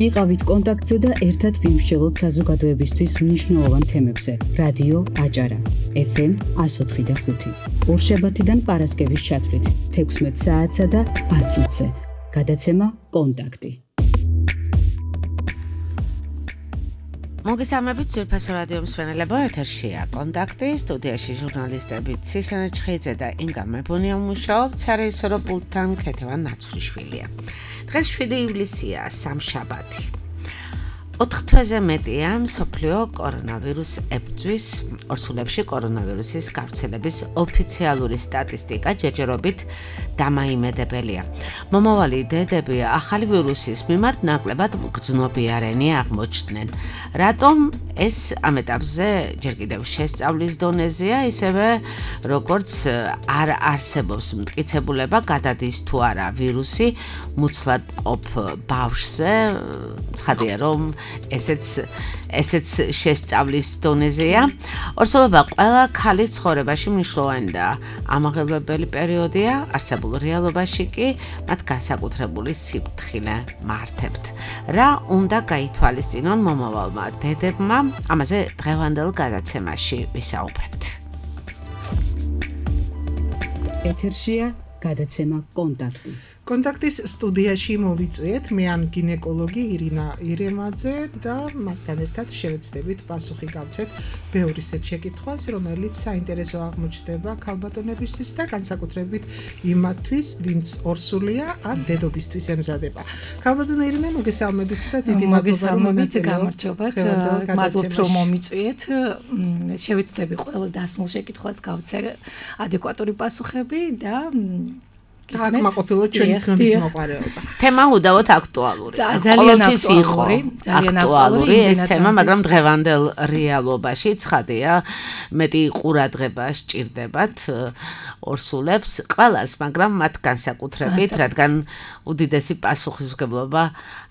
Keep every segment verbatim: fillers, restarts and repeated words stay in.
იყავით კონტაქტზე და ერთად ვიმსჯელოთ საზოგადოებისთვის მნიშვნელოვან თემებზე. რადიო აჭარა, ეფ ემ one oh four point five. ორშაბათიდან პარასკევის ჩათვლით, თექვსმეტ საათსა და ათ წუთზე. გადაცემა კონტაქტი. მოგესალმებით ძვირფასო რადიო მსმენელებო, ეთერშია კონტაქტი, სტუდიაში ჟურნალისტები ცისანა ჩხეიძე და ინგა მეფონია მუშაობთ, სარეჟისორო პულტთან ქეთევან ნაცვლიშვილია. დღეს შვიდი ივლისია, სამშაბათი. ოთხ თვეზე მეტია მსოფლიო კორონავირუს ებრძვის, ორსულებში კორონავირუსის გავრცელების ოფიციალური სტატისტიკა ჯერჯერობით დამაიმედებელია. მომავალი დედები ახალი ვირუსის მიმართ ნაკლებად მგრძნობიარენი აღმოჩნდნენ. რატომ ეს ამ ეტაპზე ჯერ კიდევ შესწავლის დონეზეა, ისევე როგორც არ არსებობს მტკიცებულება გადადის თუ არა ვირუსი მუცლად მყოფ ბავშვზე, ცხადია რომ ესეც ესეც შესწავლის დონეზეა. ორსულობა ყველა ქალის ცხოვრებაში მნიშვნელოვანი და ამაღელვებელი პერიოდია, არსებულ რეალობაში კი მათ განსაკუთრებული სიფრთხილე მართებთ. რა უნდა გაითვალისწინონ მომავალმა დედებმა, ამაზე დღევანდელ გადაცემაში ვისაუბრებთ. ეთერშია გადაცემა კონტაქტი. კონტაქტის სტუდიაში მოვიწვიეთ მე ან გინეკოლოგი ირინა ირემაძე და მასთან ერთად შევეცდებით პასუხი გავცეთ ბევრი ისეთ შეკითხვას, რომელიც საინტერესო აღმოჩნდება ქალბატონებისთვის და განსაკუთრებით იმათთვის, ვინც ორსულია ან დედობისთვის ემზადება. ქალბატონო ირინა, მოგესალმებით და დიდი მადლობა რომ გამარჯობათ. მადლობთ რომ მომიწვიეთ. შევეცდები ყველა დასმულ შეკითხვას გავცე ადეკვატური პასუხები და აკმაყოფილოთ ჩვენი ცნობის მოყარეობა. თემა უდავოდ აქტუალური. ძალიან აქტუალური, ძალიან აქტუალური ეს თემა, მაგრამ დღევანდელ რეალობაში ცხადია, მეტი ყურადღება სჭირდებათ ორსულებს ყველას, მაგრამ მათ განსაკუთრებით, რადგან უდიდესი პასუხისმგებლობა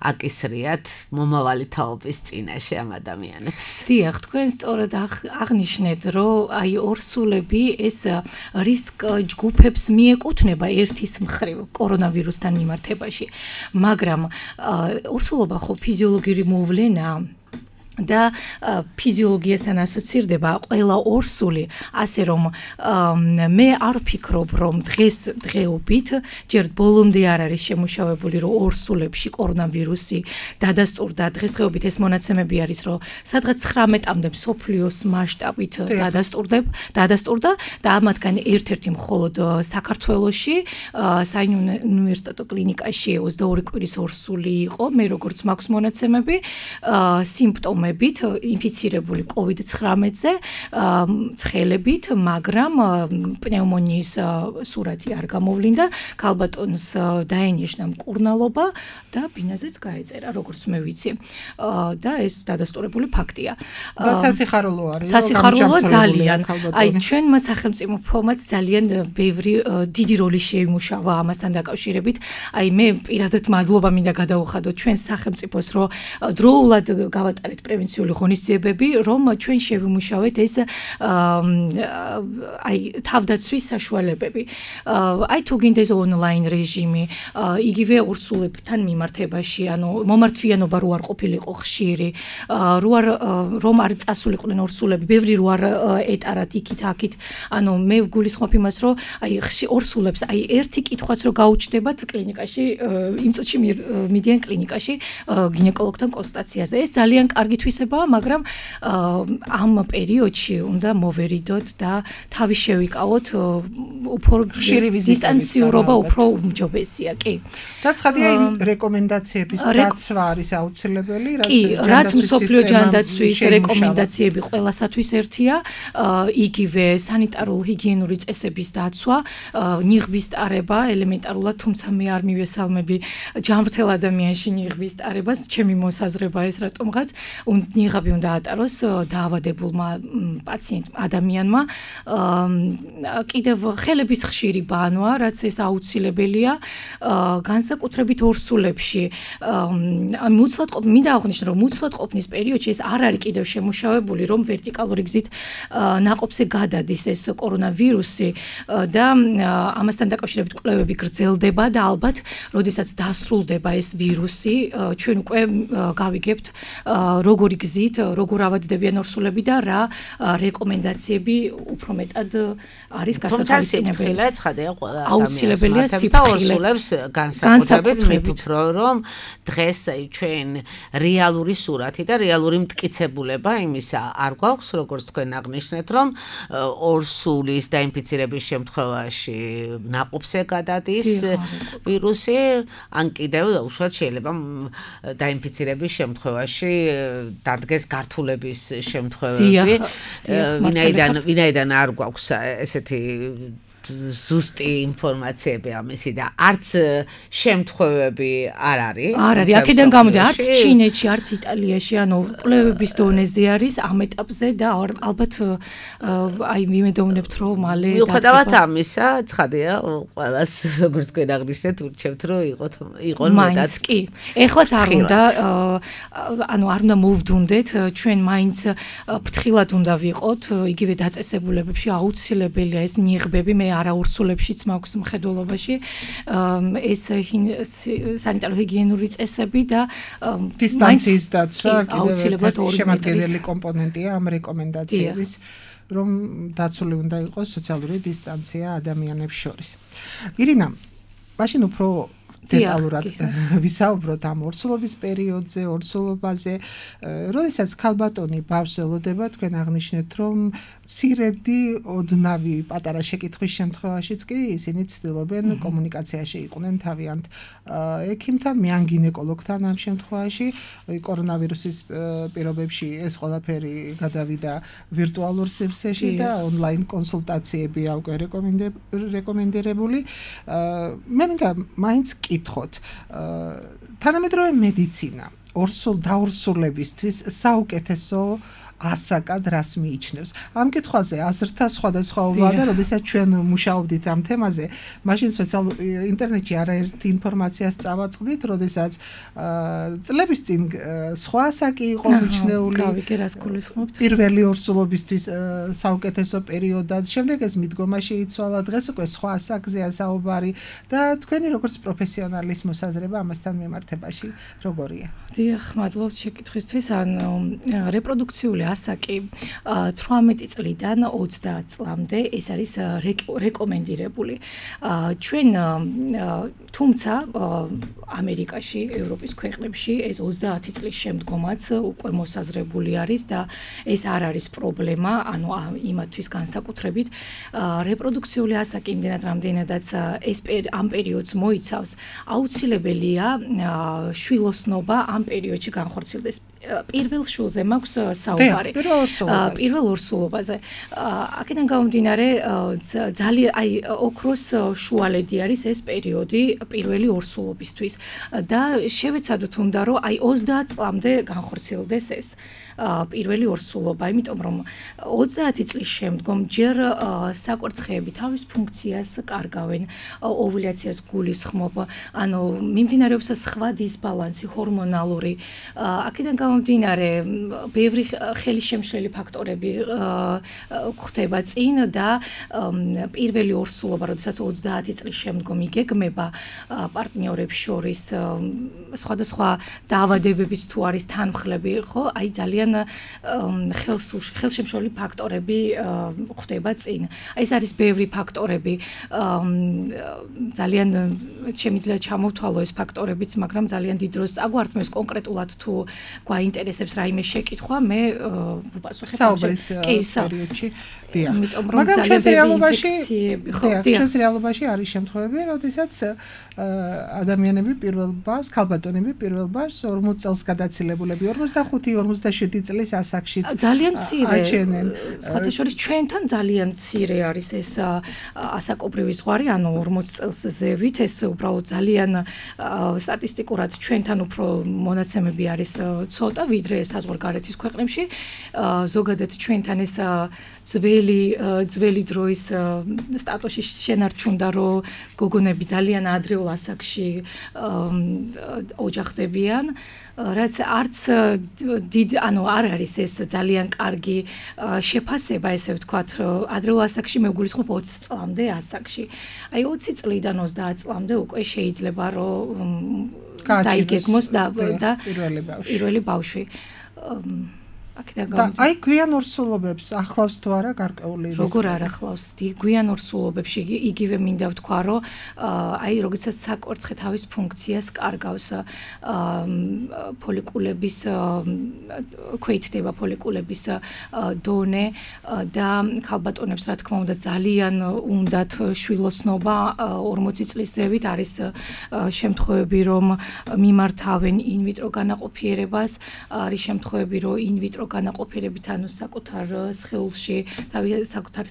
აკისრიათ მომავალი თაობის წინაშე ამ ადამიანებს. დიახ, თქვენ სწორად აღნიშნეთ, რომ აი ორსულები ეს რისკ ჯგუფებს მიეკუთვნება ერთის მხრივ კორონავირუსთან მიმართებაში, მაგრამ ორსულობა ხო ფიზიოლოგიური მოვლენაა და ფიზიოლოგიასთან ასოცირდება ყველა ორსული, ასე რომ მე არ ვფიქრობ, რომ დღეს დღეობით ჯერ ბოლომდე არ არის შემუშავებული, რომ ორსულებში კორონავირუსი დადასტურდა. დღესდღეობით ეს მონაცემები არის, რომ სადღაც ცხრამეტამდე მსოფლიოს მასშტაბით დადასტურდა და ამათგან ერთ-ერთი მხოლოდ საქართველოში საუნივერსიტეტო კლინიკაში ოცდაორი კვირის ორსული იყო, მე როგორც მაქვს მონაცემები, სიმპტომები ინფიცირებული კოვიდ ცხრამეტზე ცხელებით, მაგრამ პნევმონიის სურათი არ გამოვლინდა, ქალბატონს დაენიშნა მკურნალობა და ბინაზეც გაეწერა, როგორც მე ვიცი. და ეს დადასტურებული ფაქტია. და სასიხარულო არის. სასიხარულო ძალიან. აი ჩვენმა სახელმწიფომაც ძალიან ბევრი დიდი როლი შეიმუშავა ამასთან დაკავშირებით. აი მე პირადად მადლობა მინდა გადაუხადო ჩვენ სახელმწიფოს, რომ დროულად გავატარეთ პრევენციული ღონისძიებები, რომ ჩვენ შევიმუშავეთ ეს აი თავდაცვის საშუალებები. აი თუ გინდეს ონლაინ რეჟიმი, იგივე ორსულებთან მიმართებაში, ანუ მომართვიანობა რო არ ყოფილიყო ხშირი, რო არ რომ არ წასულიყვნენ ორსულები, ბევრი რო არ ეტარათ იქით აქით. ანუ მე ვგულისხმობ იმას, რომ აი ორსულებს აი ერთი კითხვაც რო გაუჩნდებათ კლინიკაში, იმ წუთში მიდიან კლინიკაში გინეკოლოგთან კონსულტაციაზე. ეს ძალიან კარგი თვისებაა, მაგრამ ამ პერიოდში უნდა მოვერიდოთ და თავი შევიკავოთ, უფრო დისტანციურობა უფრო უმჯობესია, კი. და ცხადია იმ რეკომენდაციების დაცვა არის აუცილებელი, კი, რაც მსოფლიო ჯანდაცვის რეკომენდაციები ყველასათვის ერთია, იგივე სანიტარულ-ჰიგიენური წესების დაცვა, ნიღბის ტარება, ელემენტარულად, თუმცა მე არ მივესალმები ჯანმრთელ ადამიანში ნიღბის ტარებას, ჩემი მოსაზრება ეს რატომღაც ნიღაბი უნდა ატაროს დაავადებულმა პაციენტმა, ადამიანმა. კიდევ ხელების ხშირი ბანვა, რაც ეს აუცილებელია, განსაკუთრებით ორსულებში. მუცლად ყოფ, მინდა აღვნიშნო, რომ მუცლად ყოფნის პერიოდში ეს არ არის კიდევ შემუშავებული, რომ ვერტიკალური გზით ნაყოფზე გადადის ეს კორონავირუსი და ამასთან დაკავშირებით კვლევები გრძელდება და ალბათ, როდესაც დასრულდება ეს ვირუსი, ჩვენ უკვე გავიგებთ როგორი გზით, როგორ ავადდებიან ორსულები და რა რეკომენდაციები უფრო მეტად არის გასათვალისწინებელი. აუცილებელია სიფრთხილე ორსულებს განსაკუთრებით მიფიქრო, რომ დღეს ჩვენ რეალური სურათი და რეალური მტკიცებულება იმისა არ გვაქვს, როგორც თქვენ აღნიშნეთ, რომ ორსულის დაინფიცირების შემთხვევაში ნაყოფზე გადადის ვირუსი, ან კიდევ უშუალოდ შეიძლება დაინფიცირების შემთხვევაში დადგეს გართულების შემთხვევები. ვინაიდან ვინაიდან არ გვაქვს ესეთი ზუსტი ინფორმაციები ამისი და არც შემთხვევები არ არის. არ არის. აქედან გამოდი არც ჩინეთში, არც იტალიაში, ანუ კვლევების დონეზე არის ამ ეტაპზე და ალბათ აი ვიმედოვნებთ, რომ მალე მიუხედავად ამისა, ცხადია, ყველას როგორც თქვენ აღნიშნეთ, ურჩევთ, რომ იყოთ იყონ მეტად. მაინც კი. ეხლაც არ უნდა ანუ არ უნდა მოვდუნდეთ, ჩვენ მაინც ფრთხილად უნდა ვიყოთ, იგივე დაწესებულებებში აუცილებელია ეს ნიღბები, მე არა ორსულებშიც მაქვს მხედველობაში ეს სანიტარო ჰიგიენური წესები და დისტანციის დაცვა კიდევ შემადგენელი კომპონენტია ამ რეკომენდაციების, რომ დაცული უნდა იყოს სოციალური დისტანცია ადამიანებს შორის. ირინა, მაშინ უფრო დეტალურად ვისაუბროთ ამ ორსულობის პერიოდზე, ორსულობაზე. როდესაც ქალბატონი ბავშვს ელოდება, თქვენ აღნიშნეთ, რომ მცირედი ოდნავი პატარა შეკითხვის შემთხვევაშიც კი ისინი ცდილობენ კომუნიკაციაში იყვნენ თავიანთ ექიმთან, მე ან გინეკოლოგთან ამ შემთხვევაში. კორონავირუსის პირობებში ეს ყველაფერი გადავიდა ვირტუალურ სივრცეში და ონლაინ კონსულტაციებია უკვე რეკომენდირებული. მე მინდა მაინც კითხოთ, თანამედროვე მედიცინა ორსულ დაორსულებისთვის საუკეთესო ასაკად რას მიიჩნევს. ამ კითხვაზე აზრთა სხვადასხვაობაა და როდესაც ჩვენ მუშაობდით ამ თემაზე, მაშინ სოციალურ ინტერნეტში არაერთი ინფორმაციას წავაწყდით, როდესაც წლების წინ სხვა ასაკი იყო მიჩნეული. გავიგე რას გულისხმობთ. პირველი ორსულობისთვის საუკეთესო პერიოდად, შემდეგ ეს მიდგომაში იცვალა, დღეს უკვე სხვა ასაკზეა საუბარი და თქვენი როგორც პროფესიონალის მოსაზრება ამასთან მიმართებაში როგორია? დიახ, მადლობთ შეკითხვისთვის. ანუ რეპროდუქციული ასაკი თვრამეტი წლიდან ოცდაათ წლამდე ეს არის რეკომენდირებული. ჩვენ თუმცა ამერიკაში, ევროპის ქვეყნებში ეს ოცდაათი წლის შემდგომაც უკვე მოსაზრებული არის და ეს არ არის პრობლემა, ანუ იმათთვის განსაკუთრებით რეპროდუქციული ასაკი იმდენად რამდენადაც ეს ამ პერიოდს მოიცავს, აუცილებელია შვილოსნობა ამ პერიოდში განხორციელდეს. პირველ შულზე მაქვს საუბარი. პირველ ორსულობაზე. აქედან გამომდინარე, ძალიან აი ოქროს შუალედი არის ეს პერიოდი პირველი ორსულობისთვის და შევეცადოთ უნდა რომ აი ოცდაათ წლამდე განხორციელდეს ეს პირველი ორსულობა, იმიტომ რომ ოცდაათი წლის შემდგომ ჯერ საკვერცხეები თავის ფუნქციას კარგავენ, ოვულაციას გულისხმობ, ანუ მიმდინარეობს სხვა დისბალანსი ჰორმონალური. აქედან გამომდინარე, ბევრი ხელისშემშლელი ფაქტორები გვხვდება წინ და პირველი ორსულობა, როდესაც ოცდაათი წლის შემდგომ იგეგმება პარტნიორებს შორის სხვადასხვა დაავადებების თუ არის თანმხლები, ხო, აი ძალიან ხელშემშლელი ფაქტორები გვხვდება წინ. ეს არის ბევრი ფაქტორები. ძალიან შემიძლია ჩამოვთვალო ეს ფაქტორებიც, მაგრამ ძალიან დიდ დროს წაგვართმევს კონკრეტულად თუ გვაინტერესებს რაიმე შეკითხვა, მე ვუპასუხებ საუბრის კი პერიოდში დიახ მაგრამ ჩვენს რეალობაში ჩვენს რეალობაში არის შემთხვევები როდესაც ადამიანები პირველ ბარს ქალბატონები პირველ ბარს ორმოც წელს გადაცილებულები ორმოცდახუთი ორმოცდაშვიდი წლის ასაკშიც ძალიან მცირე აჩენენ სხვათა შორის ჩვენთან ძალიან მცირე არის ეს ასაკობრივი ზღვარი ანუ ორმოც წელს ზევით ეს უბრალოდ ძალიან სტატისტიკურად ჩვენთან უფრო მონაცემები არის ცოტა ვიდრე საზღვარგარეთის ქვეყნებში ზოგადად ჩვენთან ეს ძველი ძველი დროის სტატუსში შენარჩუნდა რომ გოგონები ძალიან ადრეულ ასაკში ოჯახდებიან რაც არც დიდ ანუ არ არის ეს ძალიან კარგი შეფასება ესე ვთქვათ ადრეულ ასაკში მე ვგულისხმობ ოცი წლამდე ასაკში აი ოცი წლიდან ოცდაათ წლამდე უკვე შეიძლება რომ დაიგეგმოს და პირველი ბავშვი და აი გვიან ორსულობებს ახლავს თუ არა გარკვეული რისკი როგორ არ ახლავს გვიან ორსულობებში იგივე მინდა ვთქვა რომ აი როდესაც საკვერცხე თავის ფუნქციას კარგავს ფოლიკულების ქვეითდება ფოლიკულების დონე და ქალბატონებს რა თქმა უნდა ძალიან უნდათ შვილოსნობა ორმოცი წლის ზევით არის შემთხვევები რომ მიმართავენ ინვიტრო განაყოფიერებას არის შემთხვევები რომ ინვიტრო განაყოფიერებით ანუ საკუთარ სხეულში თავი საკუთარ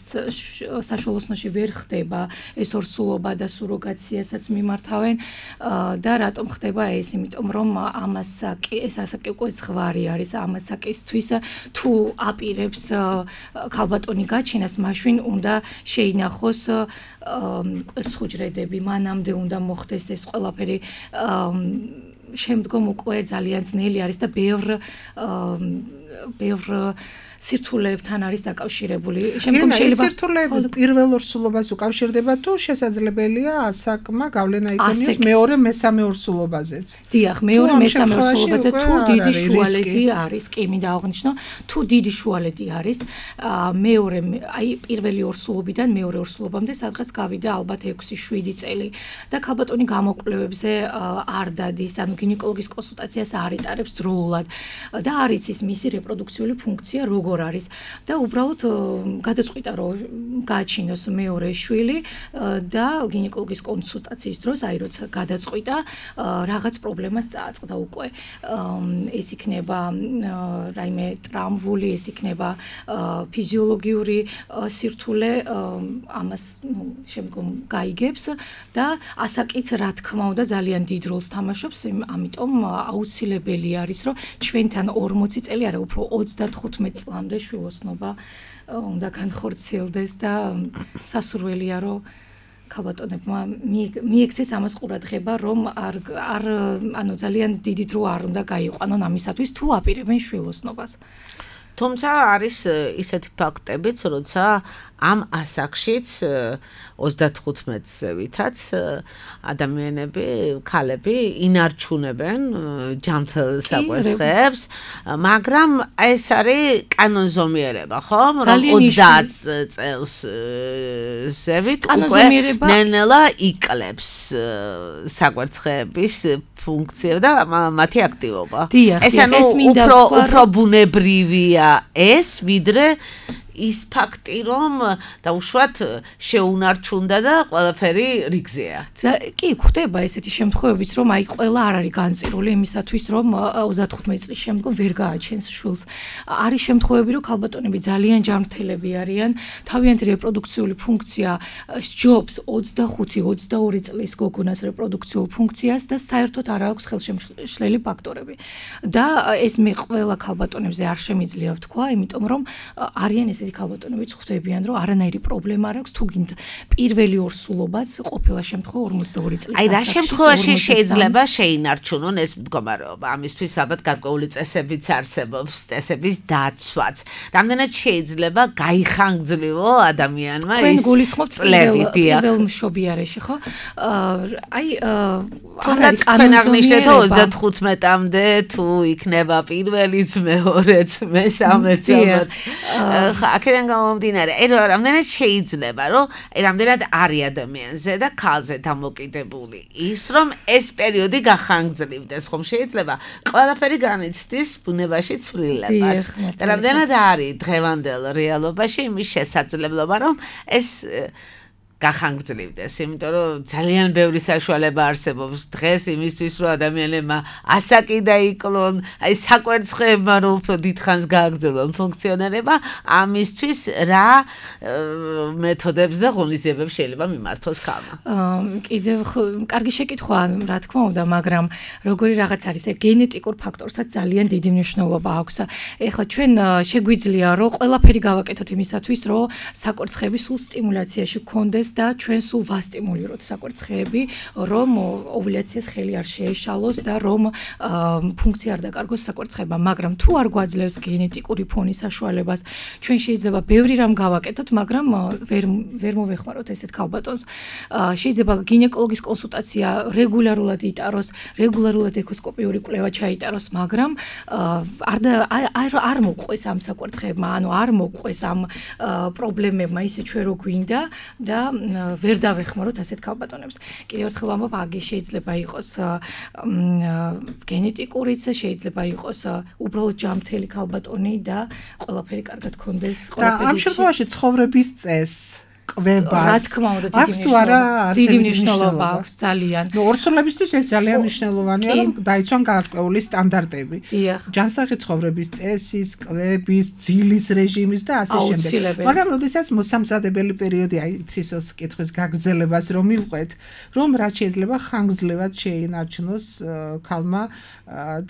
საშუალოსნოში ვერ ხდება ეს ორსულობა და სუროგაციასაც მიმართავენ და რატომ ხდება ეს იმიტომ რომ ამასაკი ეს ასაკი უკვე ზღვარი არის ამასაკისთვის თუ აპირებს ქალბატონი გაჩენას მაშინ უნდა შეინახოს კვერცხუჯრედები მანამდე უნდა მოხდეს ეს ყველაფერი შემდგომ უკვე ძალიან ძნელი არის და ბევრ ბევრ სირთულეებთან არის დაკავშირებული. შემდგომ შეიძლება სირთულეები პირველ ორსულობას უკავშირდება თუ შესაძლებელია ასაკმა გავლენა იქონიოს მეორე მესამე ორსულობაზეც. დიახ, მეორე მესამე ორსულობაზე თუ დიდი შუალედი არის, კი მინდა აღვნიშნო, თუ დიდი შუალედი არის, მეორე აი პირველი ორსულობიდან მეორე ორსულობამდე სადღაც გავიდა ალბათ ექვსი შვიდი წელი და ქალბატონი გამოკვლევებზე არ დადის, ანუ გინეკოლოგის კონსულტაციას არ იტარებს დროულად და არ იცის მისი რეპროდუქციული ფუნქცია როგორ არის და უბრალოდ გადაწყვიტა რომ გააჩინოს მეორე შვილი და გინეკოლოგის კონსულტაციის დროს აი როცა გადაწყვიტა რაღაც პრობლემას წააწყდა უკვე ეს იქნება რაიმე ტრამვული ეს იქნება ფიზიოლოგიური სირთულე ამას შემდგომ გაიგებს და ასაკიც რა თქმა უნდა ძალიან დიდ როლს თამაშობს ამიტომ აუცილებელი არის რომ ჩვენთან ორმოცი წელი არა უფრო ოცდათხუთმეტ წლამდე შვილოსნობა უნდა განხორციელდეს და სასურველია რომ ქალბატონებმა მიექცეს ამას ყურადღება რომ არ არ ანუ ძალიან დიდი დრო არ უნდა გაიყვანონ ამისათვის თუ აპირებენ შვილოსნობას თუმცა არის ისეთი ფაქტებიც როცა ამ ასაკშიც ოცდათხუთმეტზე ვითაც ადამიანები ქალები ინარჩუნებენ ჯამთელ საკვერცხებს მაგრამ ეს არის კანონზომიერება ხო რომ ოცდაათ წელს ზევით უკვე ნელ-ნელა იკლებს საკვერცხების ფუნქცია და მათი აქტივობა ეს ანუ უფრო უფრო ბუნებრივია ეს ვიდრე ის ფაქტი რომ დაუშვათ შეუნარჩუნდა და ყველაფერი რიგზეა. კი, ხდება ესეთი შემთხვევებიც რომ აი ყველა არ არის განწირული იმისათვის რომ ოცდათხუთმეტ წლის შემდგომ ვერ გააჩენს შვილს. არის შემთხვევები რომ ქალბატონები ძალიან ჯანმრთელები არიან, თავიანთი რეპროდუქციული ფუნქცია სჯობს ოცდახუთი ოცდაორი წლის გოგონას რეპროდუქციულ ფუნქციას და საერთოდ არ აქვს ხელშემშლელი ფაქტორები. და ეს მე ყველა ქალბატონებზე არ შემიძლია ვთქვა, იმიტომ რომ არიან ეს ესეთი ქალბატონებიც ხვდებიან რომ არანაირი პრობლემა არ აქვს თუ გინდ პირველი ორსულობაც ყოფილა შემთხვევა ორმოცდაორი წლის აი რა შემთხვევაში შეიძლება შეინარჩუნონ ეს მდგომარეობა ამისთვის ალბათ გარკვეული წესებიც არსებობს წესების დაცვაც რამდენად შეიძლება გაიხანგძლივო ადამიანმა ეს წლები პირველ მშობიარეში ხო აი არ არის კანონზომიერება ოცდათხუთმეტამდე თუ იქნება პირველიც მეორეც მესამეც აქედან გამომდინარე, აი რამდენად შეიძლება, რომ აი რამდენად არის ადამიანზე და ქალზე დამოკიდებული ის, რომ ეს პერიოდი გახანგრძლივდეს, ხომ შეიძლება ყველაფერი განიცდის ბუნებაში ცვლილებას. და რამდენად არის დღევანდელ რეალობაში იმის შესაძლებლობა, რომ ეს გახანგრძლივდეს, იმიტომ რომ ძალიან ბევრი საშუალება არსებობს დღეს იმისთვის, რომ ადამიანებმა ასაკი დაიკლონ, აი საკვერცხებმა რომ უფრო დიდხანს გააგრძელონ ფუნქციონირება, ამისთვის რა მეთოდებს და ღონისძიებებს შეიძლება მიმართოს ქალმა. კიდევ კარგი შეკითხვაა, რა თქმა უნდა, მაგრამ როგორი რაღაც არის, ეს გენეტიკურ ფაქტორსაც ძალიან დიდი მნიშვნელობა აქვს. ეხლა ჩვენ შეგვიძლია რომ ყველაფერი გავაკეთოთ იმისათვის, რომ საკვერცხები სულ სტიმულაციაში გქონდეს და ჩვენ სულ ვასტიმულიროთ საკვერცხეები, რომ ოვულაციას ხელი არ შეეშალოს და რომ ფუნქცია არ დაკარგოს საკვერცხებმა, მაგრამ თუ არ გვაძლევს გენეტიკური ფონის საშუალებას, ჩვენ შეიძლება ბევრი რამ გავაკეთოთ, მაგრამ ვერ ვერ მოვეხმაროთ ესეთ ქალბატონს. შეიძლება გინეკოლოგის კონსულტაცია რეგულარულად იტაროს, რეგულარულად ეკოსკოპიური კვლევა ჩაიტაროს, მაგრამ არ არ მოყვეს ამ საკვერცხებმა, ანუ არ მოყვეს ამ პრობლემებმა ისე ჩვენ რო გვინდა და ვერ დავეხმაროთ ასეთ ქალბატონებს. კიდევ ერთხელ ვამბობ, აგი შეიძლება იყოს გენეტიკურიც, შეიძლება იყოს უბრალოდ ჯანმრთელი ქალბატონი და ყველაფერი კარგად გქონდეს, ყველაფერი. და ამ შემთხვევაში ცხოვრების წესს კვებას. რა თქმა უნდა, დიდი მნიშვნელობა აქვს ძალიან. ნუ ორსულებისთვის ეს ძალიან მნიშვნელოვანია, რომ დაიცვან გაარკვეული სტანდარტები. ჯანსაღი ცხოვრების წესის, კვების, ძილის რეჟიმის და ასე შემდეგ. მაგრამ როდესაც მოსამზადებელი პერიოდი აი ცისოს კითხვის გაგრძელებას რომ მივყვეთ, რომ რაც შეიძლება ხანგრძლივად შეინარჩუნოს ქალმა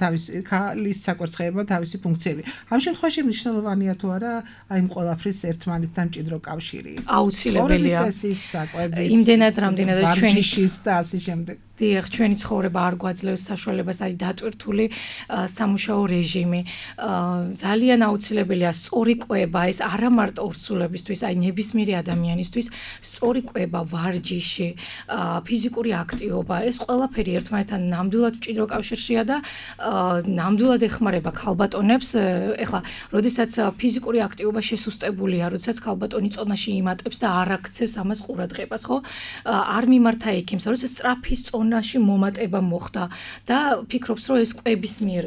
თავის ქალის საკვერცხეებმა თავისი ფუნქციები. ამ შემთხვევაში მნიშვნელოვანია თუ არა აი იმ ყველაფრის ერთმანეთთან მჭიდრო კავშირი. აუცილებელია. იმდენად რამდენადაც ჩვენი შის და ასე შემდეგ. დიახ, ჩვენი ცხოვრება არ გვაძლევს საშუალებას, არის დატვირთული სამუშაო რეჟიმი. ძალიან აუცილებელია სწორი კვება, ეს არა მარტო ორსულებისთვის, აი ნებისმიერი ადამიანისთვის, სწორი კვება, ვარჯიში, ფიზიკური აქტივობა, ეს ყველაფერი ერთმანეთთან ნამდვილად მჭიდრო კავშირშია და ნამდვილად ეხმარება ქალბატონებს. ეხლა, როდესაც ფიზიკური აქტივობა შესუსტებულია, როდესაც ქალბატონი წონაში იმატებს და არ აქცევს ამას ყურადღებას, ხო? არ მიმართა ექიმს, როდესაც სწრაფი წონაში მომატება მოხდა და ფიქრობს, რომ ეს კვების მიერ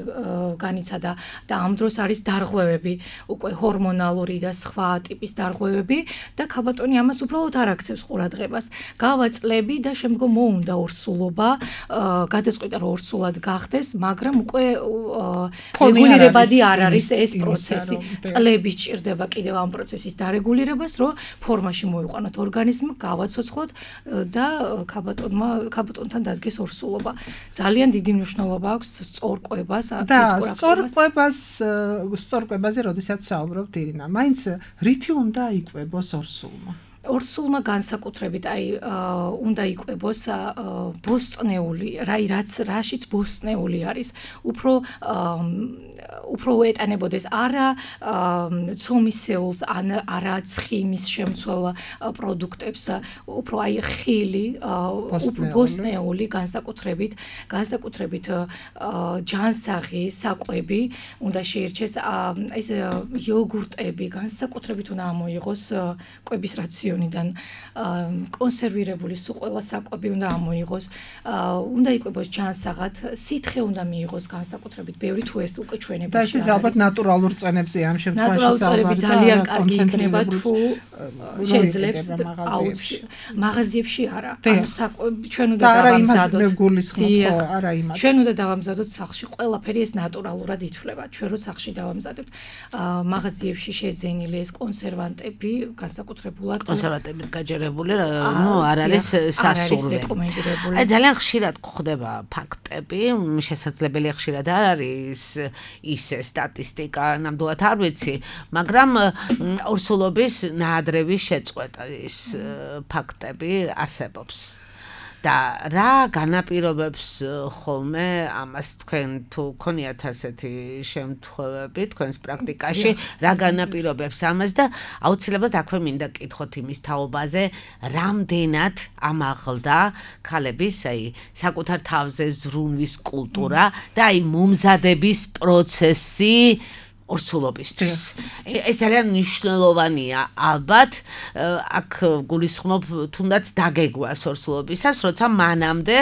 განიცადა და ამ დროს არის დარღვევები, უკვე ჰორმონალური და სხვა ტიპის დარღვევები და ქალბატონი ამას უბრალოდ არ აქცევს ყურადღებას. გავაწლები და შემდგომ მოუნდა ორსულობა, გადაწყვიტა რომ ორსულად გახდეს, მაგრამ უკვე რეგულირებადი არ არის ეს პროცესი. წლები სჭირდება კიდევ ამ პროცესის დარეგულირებას, რომ ფორმაში მოიყვანოთ ორგანიზმი, გავაცოცხლოთ და ქალბატონმა ქალბატონთან დადგეს ორსულობა. ძალიან დიდი მნიშვნელობა აქვს სწორკვებას, ფიზიკურ აქტივობას. და სწორკვებას, სწორკვებაზე როდესაც საუბრობთ ირინა, მაინც რითი უნდა იკვებოს ორსულმა? ორსულმა განსაკუთრებით აი უნდა იკვებოს ბოსტნეული, რაი რაც რაშიც ბოსტნეული არის, უფრო უფრო ეტანებოდეს არა ცომისეულს, ან არა ცხიმის შემცველ პროდუქტებს, უფრო აი ხილი, ბოსტნეული განსაკუთრებით, განსაკუთრებით ჯანსაღი საკვები უნდა შეირჩეს, ეს იოგურტები განსაკუთრებით უნდა ამოიღოს კვების რაციონიდან, კონსერვირებული სულ ყველა საკვები უნდა ამოიღოს, უნდა იკვებოს ჯანსაღად, სითხე უნდა მიიღოს განსაკუთრებით, ბევრი თუ ეს უკვე ჩვენებში და ეს ალბათ ნატურალურ წვენებზე ამ შემთხვევაში ნატურალურ წვენები ძალიან კარგი იქნება თუ შეძლებს მაღაზიებში არა, ანუ საკვები ჩვენ უნდა დავამზადოთ. არა იმათ. ჩვენ უნდა დავამზადოთ სახლში, ყველაფერი ეს ნატურალურად ითვლება. ჩვენ რო სახლში დავამზადებთ, მაღაზიებში შეძენილი ეს კონსერვანტები განსაკუთრებულად კონსერვატებით გაჯერებული, ნუ არ არის სასურველი. აი ძალიან ხშირად გვხვდება ფაქტები, შესაძლებელია ხშირად არ არის ისე სტატისტიკა, ნამდვილად არ ვიცი, მაგრამ ორსულობის ნაადრევი შეწყვეტის ფაქტები არსებობს. და რა განაპირობებს ხოლმე ამას თქვენ თუ გქონიათ ასეთი შემთხვევები თქვენს პრაქტიკაში, რა განაპირობებს ამას და აუცილებლად აქვე მინდა კითხოთ იმის თაობაზე, რამდენად ამაღლდა ქალების აი საკუთარ თავზე ზრუნვის კულტურა და აი მომზადების პროცესი ორსულობისთვის. ეს ძალიან მნიშვნელოვანია, ალბათ, აქ გულისხმობ თუნდაც დაგეგვას ორსულობისას, როცა მანამდე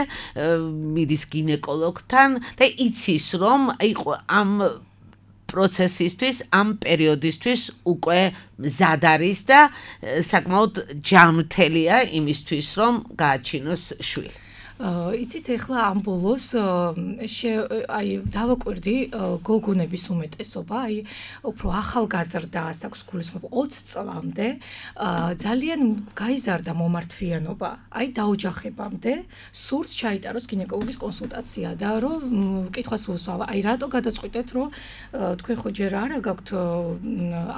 მიდის გინეკოლოგთან და იცის, რომ ამ პროცესისთვის, ამ პერიოდისთვის უკვე მზად არის და საკმაოდ ჯანმრთელია იმისთვის, რომ გააჩინოს შვილი. იცით ახლა ამ ბოლოს აი დავაკვირდი გოგონების უმეტესობა, აი უფრო ახალგაზრდა ასაკს გულისხმობ ოცი წლამდე ძალიან გაიზარდა მომართვიანობა, აი დაოჯახებამდე სურს ჩაიტაროს გინეკოლოგის კონსულტაცია და რომ კითხვას უსვავა, აი რატო გადაწყვიტეთ, რომ თქვენ ხო ჯერ არა გაქვთ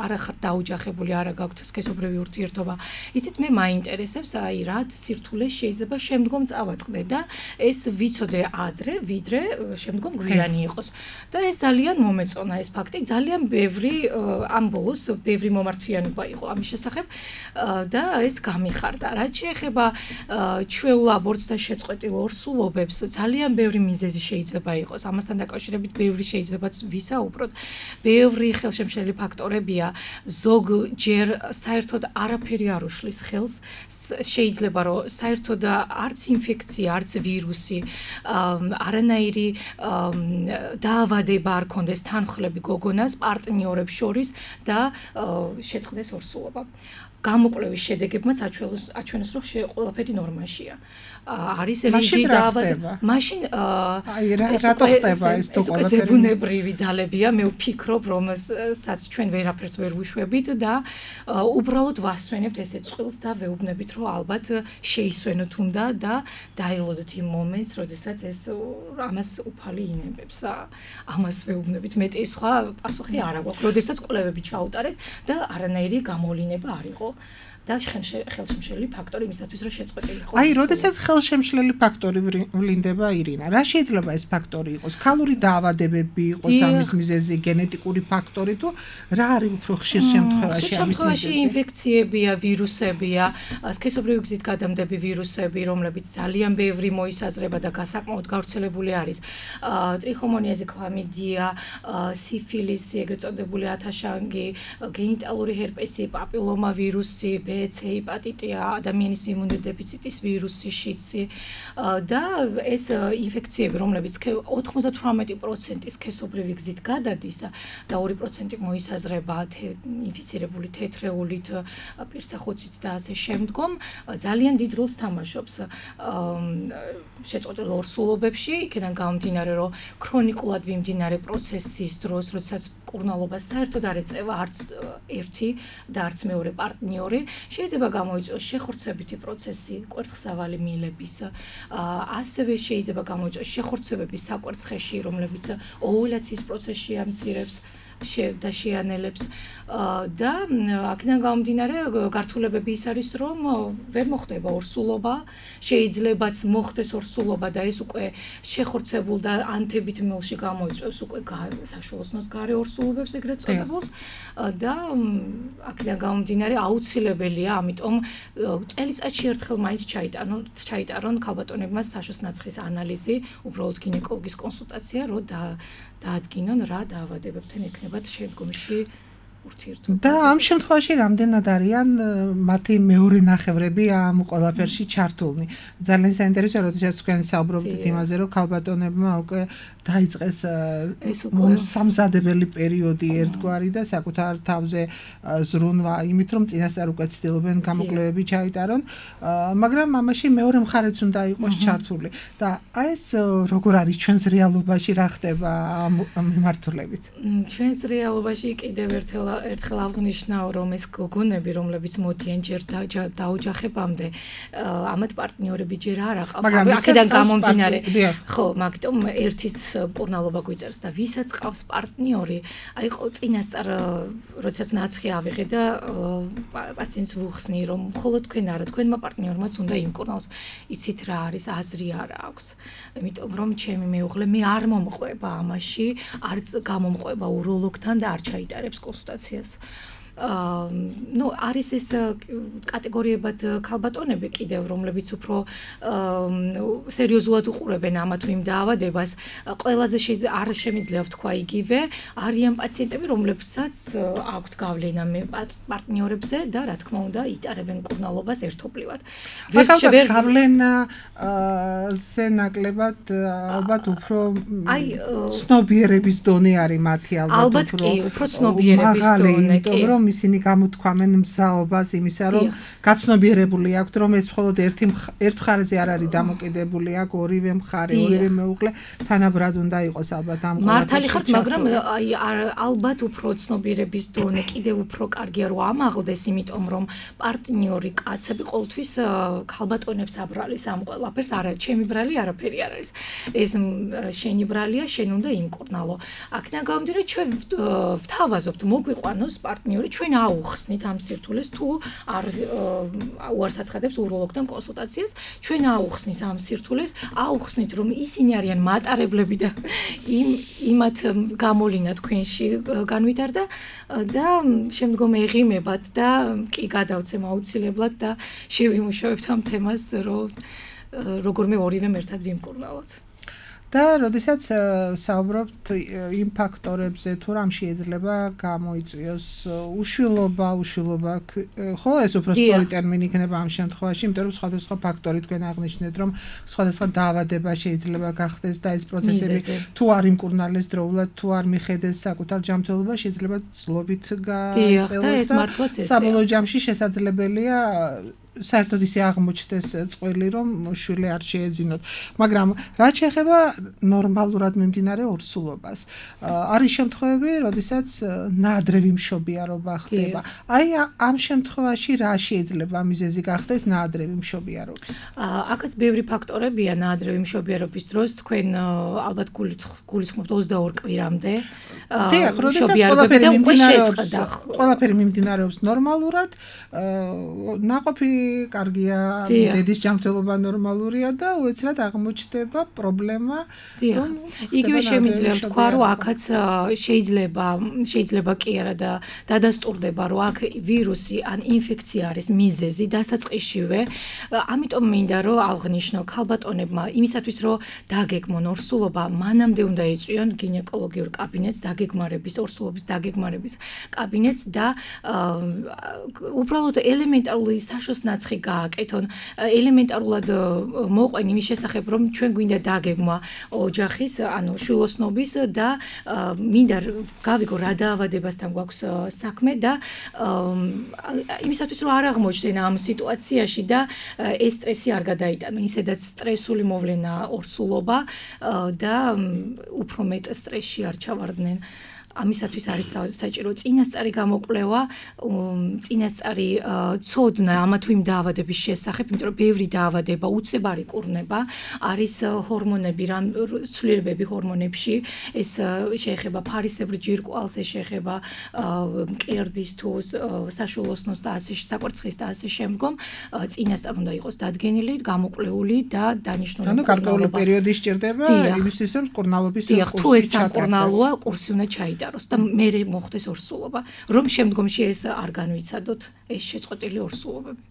არა ხართ დაოჯახებული, არა გაქვთ სქესობრივი ურთიერთობა. იცით მე მაინტერესებს აი რა სირთულე შეიძლება შემდგომ წავაწყდე და ეს ვიცოდე ადრე, ვიდრე შემდგომ გვიანი იყოს. და ეს ძალიან მომეწონა ეს ფაქტი, ძალიან ბევრი ამ ბოლოს ბევრი მომართვიანობა იყო ამის შესახებ და ეს გამიხარდა. რაც შეეხება ჩვეულ აბორტს და შეწყვეტილ ორსულობებს, ძალიან ბევრი მიზეზი შეიძლება იყოს. ამასთან დაკავშირებით ბევრი შეიძლება ვისაუბროთ. ბევრი ხელშემშლელი ფაქტორებია, ზოგჯერ საერთოდ არაფერი არ უშლის ხელს, შეიძლება რომ საერთოდ არც ინფექცია, არც ვირუსი, არანაირი დაავადება არ ქონდეს თანხლები გოგონას პარტნიორებს შორის და შეწყდეს ორსულობა. გამოკვლევის შედეგებმაც აჩვენეს, რომ ყველაფერი ნორმაშია. არის რიგი დაავადება. მაშინ აი რატო ხდება ეს თუ ყველაფერი? ეს ზებუნებრივი ძალებია, მე ვფიქრობ, რომელსაც ჩვენ ვერაფერს ვერ ვუშვებით და უბრალოდ ვასვენებთ ესეთ წყვილს და ვეუბნებით, რომ ალბათ შეისვენოთ უნდა და დაელოდოთ იმ მომენტს, როდესაც ეს ამას უფალი ინებებს. ამას ვეუბნებით, მეტი სხვა პასუხი არ აქვს. როდესაც კვლევები ჩაუტარეთ და არანაირი გამოვლინება არ იყო. და ხელშემშლელი ფაქტორი იმისათვის, რომ შეწყვეტილი იყოს. აი, როდესაც ხელშემშლელი ფაქტორი ვლინდება, ირინა, რა შეიძლება ეს ფაქტორი იყოს? ქალური დაავადებები იყოს ამის მიზეზი, გენეტიკური ფაქტორი თუ რა არის უფრო ხშირ შემთხვევაში ამის მიზეზი? ინფექციებია, ვირუსებია, სქესობრივი გზით გადამდები ვირუსები, რომლებიც ძალიან ბევრი მოისაზრება და გასაკმაოდ გავრცელებული არის. ტრიხომონიაზი, ქლამიდია, სიფილისი, ეგრეთ წოდებული ათაშანგი, გენიტალური ჰერპესი, პაპილომა ვირუსი, C ჰეპატიტია, ადამიანის იმუნოდეფიციტის ვირუსი, შიცი და ეს ინფექციები, რომლებიც ოცდაოთხი პროცენტი სქესობრივი გზით გადადის და ორი პროცენტი მოისაზრება ინფიცირებული თეთრეულით, პირსახოცით და ასე შემდგომ, ძალიან დიდ როლს თამაშობს შეწყვეტილ ორსულობებში, იქიდან გამომდინარე, რომ ქრონიკულად მიმდინარე პროცესის დროს, როდესაც მკურნალობა საერთოდ არ ეწევა არც ერთი და არც მეორე პარტნიორი, შეიძლება გამოიწვიოს შეხორცებითი პროცესი კვერცხსავალი მილების, ასევე შეიძლება გამოიწვიოს შეხორცებები საკვერცხეში, რომლებიც ოვულაციის პროცესში ამცირებს და შეანელებს და აქედან გამომდინარე გართულებები ის არის, რომ ვერ მოხდება ორსულობა, შეიძლებაც მოხდეს ორსულობა და ეს უკვე შეხორცებულ და ანთებით მილში გამოიწვევს უკვე საშუალოსნოს გარე ორსულობებს ეგრეთ წოდებულს და აქედან გამომდინარე აუცილებელია, ამიტომ წელიწადში ერთხელ მაინც ჩაიტარონ ჩაიტარონ ქალბატონებმა საშოს ნაცხის ანალიზი, უბრალოდ გინეკოლოგის კონსულტაცია, რომ დაადგინონ რა დაავადებებთან ექნებათ შემდგომში ურთიერთობა. და ამ შემთხვევაში რამდენად არიან მათი მეორე ნახევრები ამ ყველაფერში ჩართულნი? ძალიან საინტერესოა, როდესაც თქვენ საუბრობთ იმაზე, რომ ქალბატონებმა უკვე დაიწყეს სამზადებელი პერიოდი ერთგვარი და საკუთარ თავზე ზრუნვა იმით, რომ წინასწარ უკვე ცდილობენ გამოკვლევები ჩაიტარონ, მაგრამ ამაში მეორე მხარეც უნდა იყოს ჩართული. და აი ეს როგორ არის ჩვენს რეალობაში რა ხდება ამ მიმართულებით? ჩვენს რეალობაში კიდევ ერთხელ ერთხელ აღნიშნავ, რომ ეს გოგონები, რომლებიც მოდიან ჯერ დაოჯახებამდე, ამათ პარტნიორები ჯერ არ აყავთ. აქედან გამომდინარე, ხო, მაგიტომ ერთის მკურნალობა გვიწერს და ვისაც ყავს პარტნიორი, აი წინასწარ როდესაც ნაცხი ავიღე და პაციენტს ვუხსნი, რომ მხოლოდ თქვენ არა, თქვენმა პარტნიორმაც უნდა იმკურნალოს. იცით რა არის, აზრი არ აქვს. იმიტომ რომ ჩემი მეუღლე მე არ მომყვება ამაში, არ გამომყვება უროლოგთან და არ ჩაიტარებს კონსულტაციას. ну არის ეს კატეგორიებად ქალბატონები კიდევ რომლებიც უფრო სერიოზულად უყურებენ ამა თუ იმ დაავადებას ყველაზე არ შემიძლია ვთქვა იგივე არიან პაციენტები რომლებსაც აქვთ გავლენა პარტნიორებზე და რა თქმა უნდა იტარებენ მკურნალობას ერთობლივად ვერ გავლენა ზე ნაკლებად ალბათ უფრო ცნობიერების დონე არის მათი ალბათ კი უფრო ცნობიერების დონე კი რომ ისინი გამოთქვამენ მზაობას იმისა რომ გაცნობიერებული აქვთ რომ ეს მხოლოდ ერთი ერთ მხარეზე არ არის დამოკიდებული აქ ორივე მხარე ორივე მეუღლე თანაბრად უნდა იყოს ალბათ ამ მართალი ხართ მაგრამ აი ალბათ უფრო ცნობიერების დონე კიდევ უფრო კარგია რომ ამაღლდეს იმიტომ რომ პარტნიორი კაცები ყოველთვის ქალბატონებს აბრალის ამ ყველაფერს არა ჩემი ბრალი არაფერი არ არის ეს შენი ბრალია შენ უნდა იმკურნალო აქედან გამომდინარე ჩვენ ვთავაზობთ მოგვიყვანოს პარტნიორი ჩვენ აუხსნით ამ სირთულეს თუ არ უარს აცხადებს უროლოგთან კონსულტაციას ჩვენ აუხსნის ამ სირთულეს აუხსნით რომ ისინი არიან მატარებლები და იმ იმათ გამოვლინა თქვენში განვითარდა და შემდგომ ეღიმებათ და კი გადავცემ აუცილებლად და შევიმუშავებთ ამ თემას რომ როგორმე ორივე ერთად ვიმკურნალოთ და როდესაც საუბრობთ იმ ფაქტორებზე თუ რამ შეიძლება გამოიწვიოს უშვილობა უშვილობა ხო ეს უფრო სწორი ტერმინი იქნება ამ შემთხვევაში იმიტომ რომ სხვადასხვა ფაქტორი თქვენ აღნიშნეთ რომ სხვადასხვა დაავადება შეიძლება გახდეს და ეს პროცესები თუ არ იმკურნალეს დროულად თუ არ მიხედეს საკუთარ ჯანმრთელობა შეიძლება წლობით გაიწელოს და საბოლოო ჯამში შესაძლებელია საერთოდ ისე აღმოჩნდეს წყვილი რომ შვილი არ შეეძინოთ მაგრამ რაც შეეხება ნორმალურად მიმდინარე ორსულობას არის შემთხვევები როდესაც ნაადრევი მშობიარობა ხდება აი ამ შემთხვევაში რა შეიძლება მიზეზი გახდეს ნაადრევი მშობიარობის აქაც ბევრი ფაქტორებია ნაადრევი მშობიარობის დროს თქვენ ალბათ გულისხმობთ ოცდაორ კვირამდე დიახ როდესაც ყველაფერი მიმდინარეობს ყველაფერი მიმდინარეობს ნორმალურად ნაყოფი კარგია დედის ჯანმრთელობა ნორმალურია და უეცრად აღმოჩნდება პრობლემა რომ იგივე შემიძლია ვთქვა რომ აქაც შეიძლება შეიძლება კი არა და დადასტურდება რომ აქ ვირუსი ან ინფექცია არის მიზეზი დასაწყისშივე ამიტომ მინდა რომ აღნიშნო ქალბატონებმა იმისათვის რომ დაგეგმონ ორსულობა მანამდე უნდა ეწვიონ გინეკოლოგიურ კაბინეტს დაგეგმარების ორსულობის დაგეგმარების კაბინეტს და უბრალოდ ელემენტარული საშოს ნაცხი გააკეთონ ელემენტარულად მოყვენ იმის შესახებ რომ ჩვენ გვინდა დაგეგმა ოჯახის ანუ შვილოსნობის და მინდა გავიგო რა დაავადებასთან გვაქვს საქმე და იმისათვის რომ არ აღმოჩნდნენ ამ სიტუაციაში და ეს სტრესი არ გადაიტანონ ისედაც სტრესული მოვლენა ორსულობა და უფრო მეტ სტრესში არ ჩავარდნენ ამისათვის არის საჭირო წინასწარი გამოკვლევა, წინასწარი ცოდნა ამა თუ იმ დაავადების შესახებ, იმიტომ რომ ბევრი დაავადება უცებარი კურნება, არის ჰორმონები, რამ ცვლილებები ჰორმონებში, ეს შეეხება ფარისებრ ჯირკვალს, ეს შეეხება მკერდის თუ საშვილოსნოს და ასე საკვერცხის და ასე შემდგომ, წინასწარ უნდა იყოს დადგენილი, გამოკვლეული და დანიშნული. ანუ გარკვეული პერიოდი სჭირდება იმისთვის, რომ კურნალობის კურსი ჩატარდეს. თუ ეს სამკურნალოა, კურსი უნდა ჩაიტაროს და მერე მოხდეს ორსულობა, რომ შემდგომში ეს არ განვიცადოთ ეს შეწყვეტილი ორსულობები.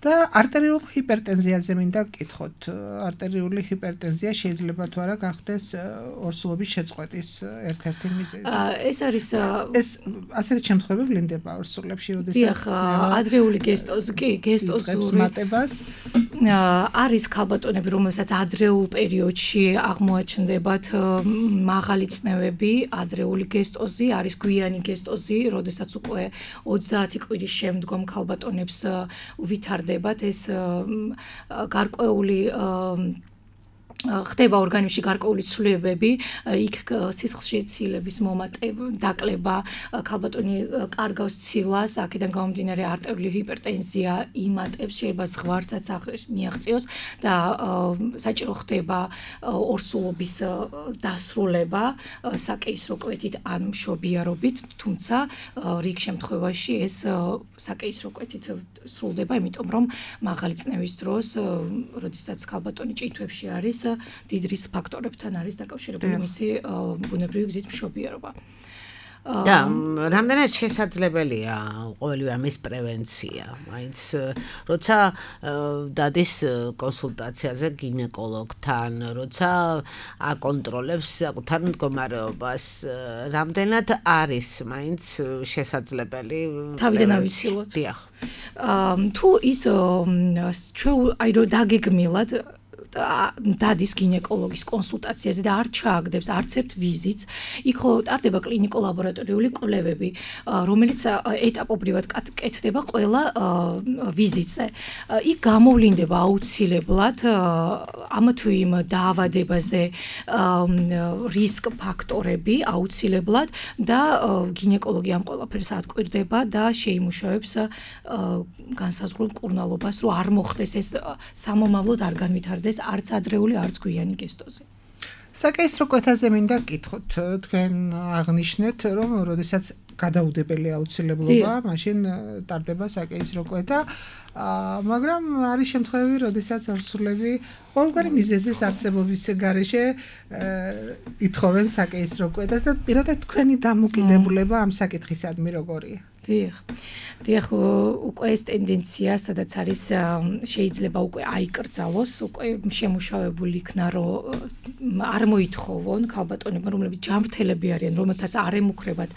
და არტერიულ ჰიპერტენზიაზე მინდა გკითხოთ. არტერიული ჰიპერტენზია შეიძლება თუ არა გახდეს ორსულობის შეწყვეტის ერთ-ერთი მიზეზი. ეს არის ეს ასეთი შემთხვევები ვლინდება ორსულებში, როდესაც ადრეული გესტოზი, კი, გესტოზური მატებას არის ქალბატონები, რომელსაც ადრეულ პერიოდში აღმოაჩნდებათ მაღალი წნევები, ადრეული გესტოზი, არის გვიანი გესტოზი, როდესაც უკვე ოცდაათი კვირის შემდგომ ქალბატონებს უვითარდება ეს გარკვეული ხდება ორგანიზმში გარკვეული ცვლილებები, იქ სისხლში ცილების მომატება, დაკლება, ქალბატონი კარგავს ცილას, აქედან გამომდინარე არტერიული ჰიპერტენზია იმატებს, შეიძლება ზღვარცაც მიაღწიოს და საჭირო ხდება ორსულობის დასრულება საკეისრო კვეთით ან მშობიარობით, თუმცა რიგ შემთხვევაში ეს საკეისრო კვეთით სრულდება, იმიტომ რომ მაღალი წნევის დროს, როდესაც ქალბატონი ჭითვებში არის დიდ რისკ ფაქტორებთან არის დაკავშირებული მისი ბუნებრივი გზით მშობიარობა. და რამდენად შესაძლებელია ყოველივე ამის პრევენცია, მაინც როცა დადის კონსულტაციაზე გინეკოლოგთან, როცა აკონტროლებს საკუთარ მდგომარეობას, რამდენად არის მაინც შესაძლებელი თავიდან ავიცილოთ. დიახ. თუ ის ჩვენ აი რომ დაგეგმილად დადის გინეკოლოგის კონსულტაციაზე და არ ჩააგდებს არც ერთ ვიზიტს, იქ ტარდება კლინიკო-ლაბორატორიული კვლევები, რომელიც ეტაპობრივად კეთდება ყველა ვიზიტზე. იქ გამოვლინდება აუცილებლად ამ თუ იმ დაავადებაზე რისკ ფაქტორები აუცილებლად და გინეკოლოგი ამ ყველაფერს ატკვირდება და შეიმუშავებს განსაზღვრულ მკურნალობას, რომ არ მოხდეს ეს სამომავლოდ არ განვითარდეს არც ადრეული, არც გვიანი გესტოზე. საკეისრო კვეთაზე მინდა გკითხოთ, თქვენ აღნიშნეთ, რომ როდესაც გადაუდებელი აუცილებლობა, მაშინ ტარდება საკეისრო კვეთა, მაგრამ არის შემთხვევები, როდესაც ორსულები ყოველგვარი მიზეზის არსებობის გარეშე ითხოვენ საკეისრო კვეთას და პირადად თქვენი დამოკიდებულება ამ საკითხისადმი როგორია? დიახ. დიახ, უკვე ეს ტენდენცია, სადაც არის შეიძლება უკვე აიკრძალოს, უკვე შემუშავებული იქნა, რომ არ მოითხოვონ ქალბატონებმა, რომლებიც ჯანმრთელები არიან, რომელთაც არ ემუქრებათ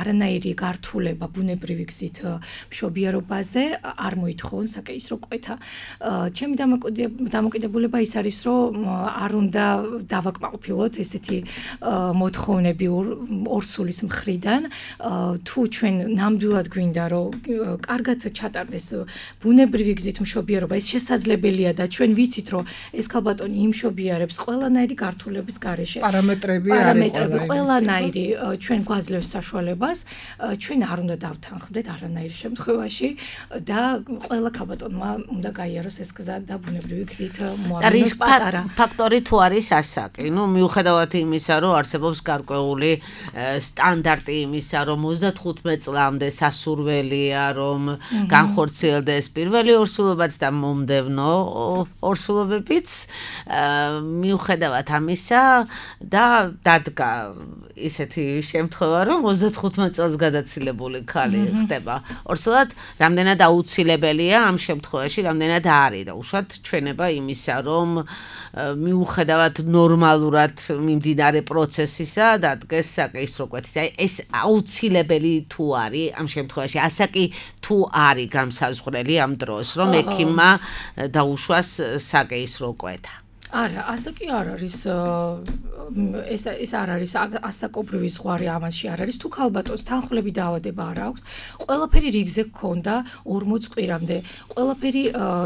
არანაირი გართულება ბუნებრივი გზით მშობიარობაზე, არ მოითხოვონ საკეისრო კვეთა. ჩემი დამოკიდებულება ის არის, რომ არ უნდა დავაკმაყოფილოთ ესეთი მოთხოვნები ორსულის მხრიდან, თუ ჩვენ ნამდვილად გვინდა რომ კარგად ჩატარდეს ბუნებრივი გზით მშობიარობა, ეს შესაძლებელია და ჩვენ ვიცით რომ ეს ქალბატონი იმშობიარებს ყველანაირი გართულების გარეშე. პარამეტრები არის ყველანაირი ჩვენ გვაძლევს საშუალებას, ჩვენ არ უნდა დავთანხმდეთ არანაირ შემთხვევაში და ყველა ქალბატონმა უნდა გაიაროს ეს გზა და ბუნებრივი გზით მოამზადოს პატარა. ფაქტორი თუ არის ასაკი, ну მიუხედავად იმისა, რომ არსებობს გარკვეული სტანდარტი იმისა, რომ ოცდათხუთმეტ წლამდე სასურველია, რომ განხორციელდეს პირველი ორსულობაც და მომდევნო ორსულობებიც, მიუხედავად ამისა და დადგა ისეთი შემთხვევა, რომ ოცდათხუთმეტ წელს გადაცილებული ქალი ხდება ორსულად, რამდენად აუცილებელია ამ შემთხვევაში, რამდენად არის და უშუალოდ ჩვენება იმისა, რომ მიუხედავად ნორმალურად მიმდინარე პროცესისა დადგეს საკეისრო კვეთის. აი ეს აუცილებელი თუ არის ამ შემთხვევაში, ასაკი თუ არის გამსაზღვრელი ამ დროს, რომ ექიმმა დაუშვას საკეისრო კვეთა. არა, ასაკი არ არის ეს ეს არ არის ასაკობრივი ზღვარი ამაში არ არის. თუ ქალბატონს თანხლები დაავადება არ აქვს, ყველაფერი რიგზე გქონდა ორმოც კვირამდე, ყველაფერი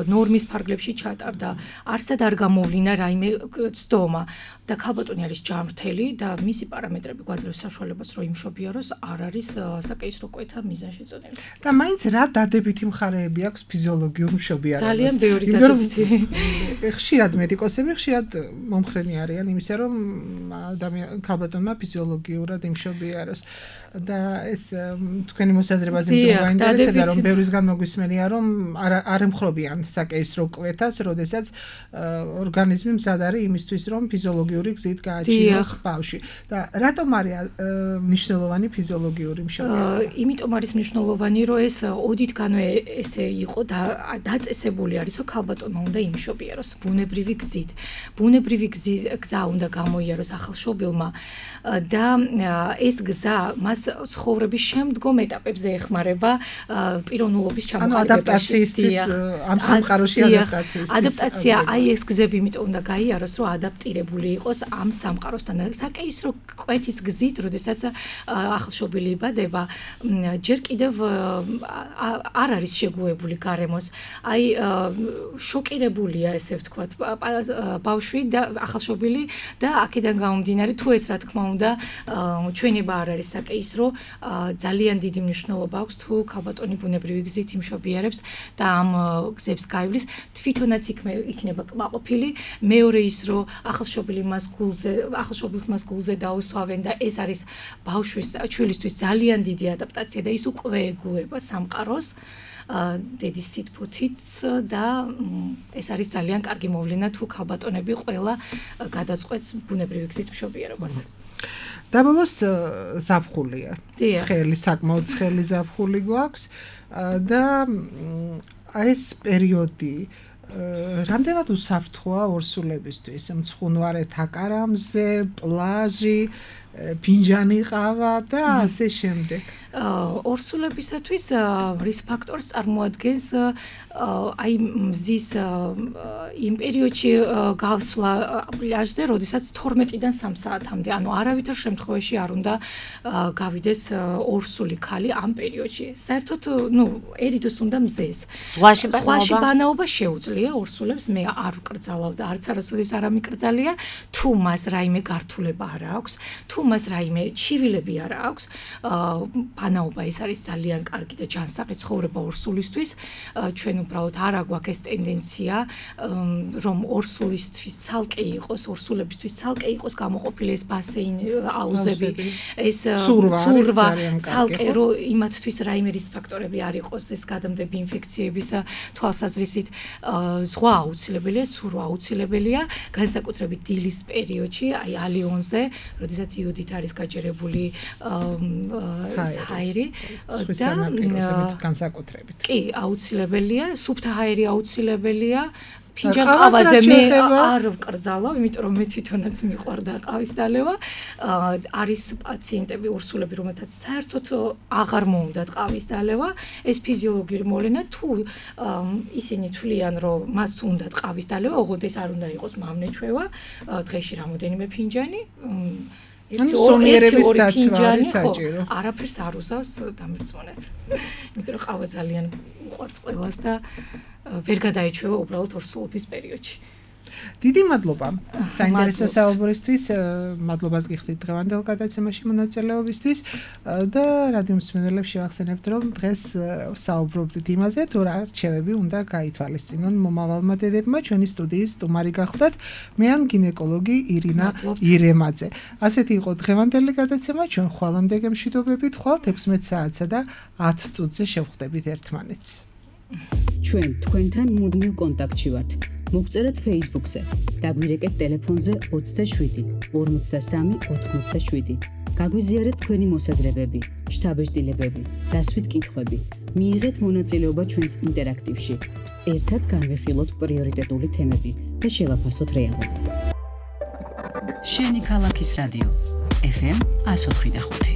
ნორმის ფარგლებში ჩატარდა, არსად არ გამოვლინა რაიმე ცდომა და ქალბატონი არის ჯანმრთელი და მისი პარამეტრები გვაძლევს საშუალებას, რომ იმშობიაროს, არ არის საკეისრო კვეთა მიზანშეწონილი. და მაინც რა დადებითი მხარეები აქვს ფიზიოლოგიურ მშობიარობას? ძალიან ბევრი დადებითი. ხშირად მედიკოსები ხშირად მომხრენი არიან იმისა, რომ ადამიან ქალბატონმა ფიზიოლოგიურად იმშობიაროს და ეს თქვენი მოსაზრებაზე მოგაინტერესებდა, რომ ბევრისგან მოგვისმენია, რომ არ ემხრობიან საკეისრო კვეთას, როდესაც ორგანიზმი მზად არის იმისთვის, რომ ფიზიოლოგიური გზით გააჩინოს ბავშვი. და რატომ არის მნიშვნელოვანი ფიზიოლოგიური მშობიარობა? იმიტომ არის მნიშვნელოვანი, რომ ეს ოდითგანვე ესე იყო და დაწესებული არის, რომ ქალბატონმა უნდა იმშობიაროს ბუნებრივი გზით. ბუნებრივი გზა უნდა გამოიაროს ახალშობილმა და ეს გზა მას ცხოვრების შემდგომ ეტაპებზე ეხმარება პიროვნულობის ჩამოყალიბებაში. ადაპტაციისთვის ამ სამყაროში ადაპტაციის. ადაპტაცია, აი ეს გზები იმიტომ უნდა გაიაროს, რომ ადაპტირებული იყოს ამ სამყაროსთან. საკეისრო კვეთის გზით, როდესაც ახალშობილი იბადება, ჯერ კიდევ არ არის შეგუებული გარემოს. აი შოკირებულია, ესე ვთქვათ, ბავშვი და ახალშობილი და აქედან გამომდინარე, თუ ეს რა თქმა უნდა ჩვენება არ არის საკეისრო, ძალიან დიდი მნიშვნელობა აქვს თუ ქალბატონი ბუნებრივი გზით იმშობიარებს და ამ გზებს გაივლის, თვითონაც იქნება კმაყოფილი, მეორე ის რომ ახალშობილი მას გულზე, ახალშობილს მას გულზე დაუსვავენ და ეს არის ბავშვის ჩვილისთვის ძალიან დიდი ადაპტაცია და ის უკვე ეგუება სამყაროს დედის სითბოთით და ეს არის ძალიან კარგი მოვლენა თუ ქალბატონები ყველა გადაწყვეტს ბუნებრივი გზით მშობიარობას. და ბოლოს ზაფხულია. ცხელი, საკმაოდ ცხელი ზაფხული გვაქვს და ეს პერიოდი რამდენად უსაფრთხოა ორსულებისთვის? მცხუნვარეთ აკარამზე, პლაჟი, ფინჯანი ყავა და ასე შემდეგ. ორსულებისათვის რის ფაქტორს წარმოადგენს აი მზის იმ პერიოდში გავსვლა პლაჟზე, როდესაც თორმეტიდან სამ საათამდე, ანუ არავითარ შემთხვევაში არ უნდა გავიდეს ორსული ქალი ამ პერიოდში. საერთოდ, ну, ერიდოს უნდა მზეს. ზღვაში ზღვაში ბანაობა შეუძლია ორსულებს, მე არ ვკრძალავ და არც არასოდეს არ ამიკრძალია, თუ მას რაიმე გართულება არ აქვს, თუ მას რაიმე ჩივილები არ აქვს, ბანაობა ეს არის ძალიან კარგი და ჯანსაღი ცხოვრება ორსულისთვის. ჩვენ უბრალოდ არ აგვაქვს ეს ტენდენცია, რომ ორსულისთვის ცალკე იყოს, ორსულებისთვის ცალკე იყოს გამოყოფილი ეს ბასეინი, აუზები, ეს ცურვა, ცალკე რომ იმათთვის რაიმე რის ფაქტორები არ იყოს, ეს გადამდები ინფექციების თვალსაზრისით, ზღვა აუცილებელია, ცურვა აუცილებელია, განსაკუთრებით დილის პერიოდში, აი ალიონზე, როდესაც იოდით არის გაჯერებული ჰაერი და განსაკუთრებით. კი, აუცილებელია, სუფთა ჰაერი აუცილებელია. ფინჯან ყავაზე მე არ ვკრძალავ, იმიტომ რომ მე თვითონაც მიყვარდა ყავის დალევა. არის პაციენტები, ორსულები, რომელთაც საერთოდ აღარ მოუნდათ ყავის დალევა. ეს ფიზიოლოგიური მოვლენა, თუ ისინი თვლიან, რომ მათ უნდათ ყავის დალევა, ოღონდ ეს არ უნდა იყოს მავნეჩვევა, დღეში რამოდენიმე ფინჯანი. ანუ სონიერების დაცვა არის საჭირო. არაფერს არ უზავს დამერწმუნეთ. იმიტომ რომ ყავა ძალიან უყვარს ყველას და ვერ გადაეჩვევა უბრალოდ ორსულობის პერიოდში. დიდი მადლობა საინტერესო საუბრისთვის, მადლობას გიხდით დღევანდელ გადაცემაში მონაწილეობისთვის და რადიო მსმენელებს შევახსენებთ, რომ დღეს საუბრობდით იმაზე, თუ რა რჩევები უნდა გაითვალისწინონ მომავალმა დედებმა. ჩვენი სტუდიის სტუმარი გახლდათ მე ან გინეკოლოგი ირინა ირემაძე. ასეთი იყო დღევანდელი გადაცემა, ჩვენ ხვალამდე გემშვიდობებით, ხვალ ექვსმეტ საათსა და ათ წუთზე შევხვდებით ერთმანეთს. ჩვენ თქვენთან მუდმივ კონტაქტში ვართ. მოგწერეთ Facebook-ზე, დაგვირეკეთ ტელეფონზე ოცდაშვიდი ორმოცდასამი ოთხმოცდაშვიდი. გაგვიზიარეთ თქვენი მოსაზრებები, შთაბეჭდილებები, დასვით კითხვები. მიიღეთ მონაწილეობა ჩვენს ინტერაქტივში. ერთად განვიხილოთ პრიორიტეტული თემები და შევაფასოთ რეალობა. შენი ქალაქის რადიო ეფ ემ εκατოთხი და ხუთი